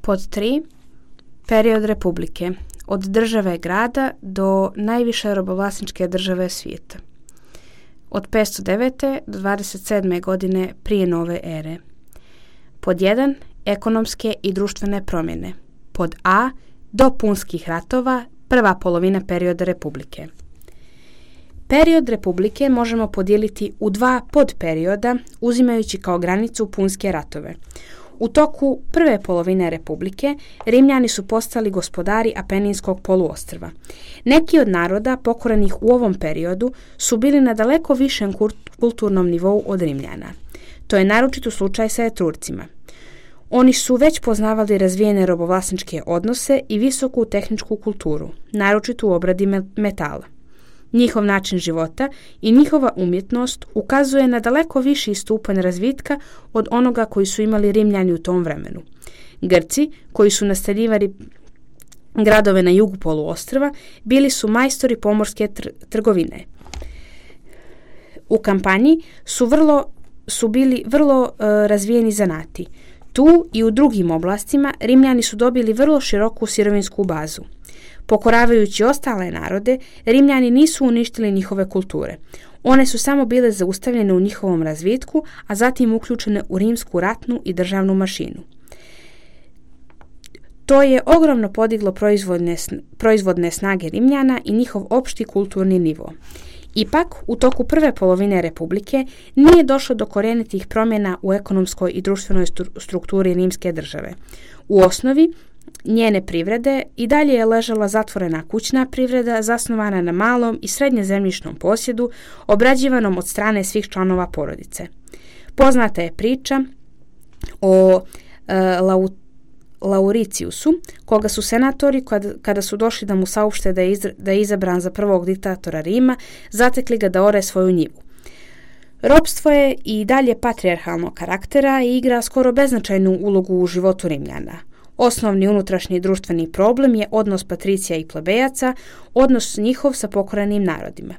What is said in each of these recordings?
Pod 3. Period republike. Od države grada do najviše robovlasničke države svijeta. Od 509. do 27. godine prije nove ere. Pod 1. Ekonomske i društvene promjene. Pod A. Do punskih ratova, prva polovina perioda republike. Period republike možemo podijeliti u 2 podperioda, uzimajući kao granicu punske ratove. U toku prve polovine republike Rimljani su postali gospodari Apeninskog poluostrva. Neki od naroda pokorenih u ovom periodu su bili na daleko višem kulturnom nivou od Rimljana. To je naročito slučaj sa Etrurcima. Oni su već poznavali razvijene robovlasničke odnose i visoku tehničku kulturu, naročito u obradi metala. Njihov način života i njihova umjetnost ukazuje na daleko viši stupanj razvitka od onoga koji su imali Rimljani u tom vremenu. Grci, koji su naseljivali gradove na jugu poluostrva, bili su majstori pomorske trgovine. U kampanji su bili vrlo razvijeni zanati. Tu i u drugim oblastima Rimljani su dobili vrlo široku sirovinsku bazu. Pokoravajući ostale narode, Rimljani nisu uništili njihove kulture. One su samo bile zaustavljene u njihovom razvitku, a zatim uključene u rimsku ratnu i državnu mašinu. To je ogromno podiglo proizvodne snage Rimljana i njihov opšti kulturni nivo. Ipak, u toku prve polovine republike nije došlo do korjenitih promjena u ekonomskoj i društvenoj strukturi rimske države. U osnovi, njene privrede i dalje je ležala zatvorena kućna privreda zasnovana na malom i srednje zemljišnom posjedu obrađivanom od strane svih članova porodice. Poznata je priča o Lauriciusu, koga su senatori, kada su došli da mu saopšte da je izabran za prvog diktatora Rima, zatekli ga da ore svoju njivu. Ropstvo je i dalje patrijarhalnog karaktera i igra skoro beznačajnu ulogu u životu Rimljana. Osnovni unutrašnji društveni problem je odnos patricija i plebejaca, odnos njihov sa pokorenim narodima.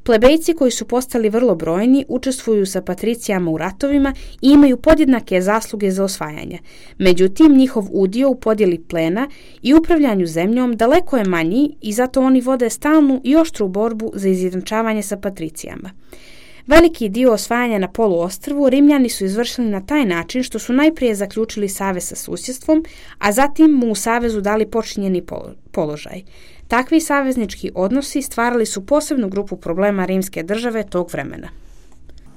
Plebejci koji su postali vrlo brojni učestvuju sa patricijama u ratovima i imaju podjednake zasluge za osvajanje. Međutim, njihov udio u podjeli plena i upravljanju zemljom daleko je manji i zato oni vode stalnu i oštru borbu za izjednačavanje sa patricijama. Veliki dio osvajanja na poluostrvu Rimljani su izvršili na taj način što su najprije zaključili savez sa susjedstvom, a zatim mu u savezu dali počinjeni položaj. Takvi saveznički odnosi stvarali su posebnu grupu problema rimske države tog vremena.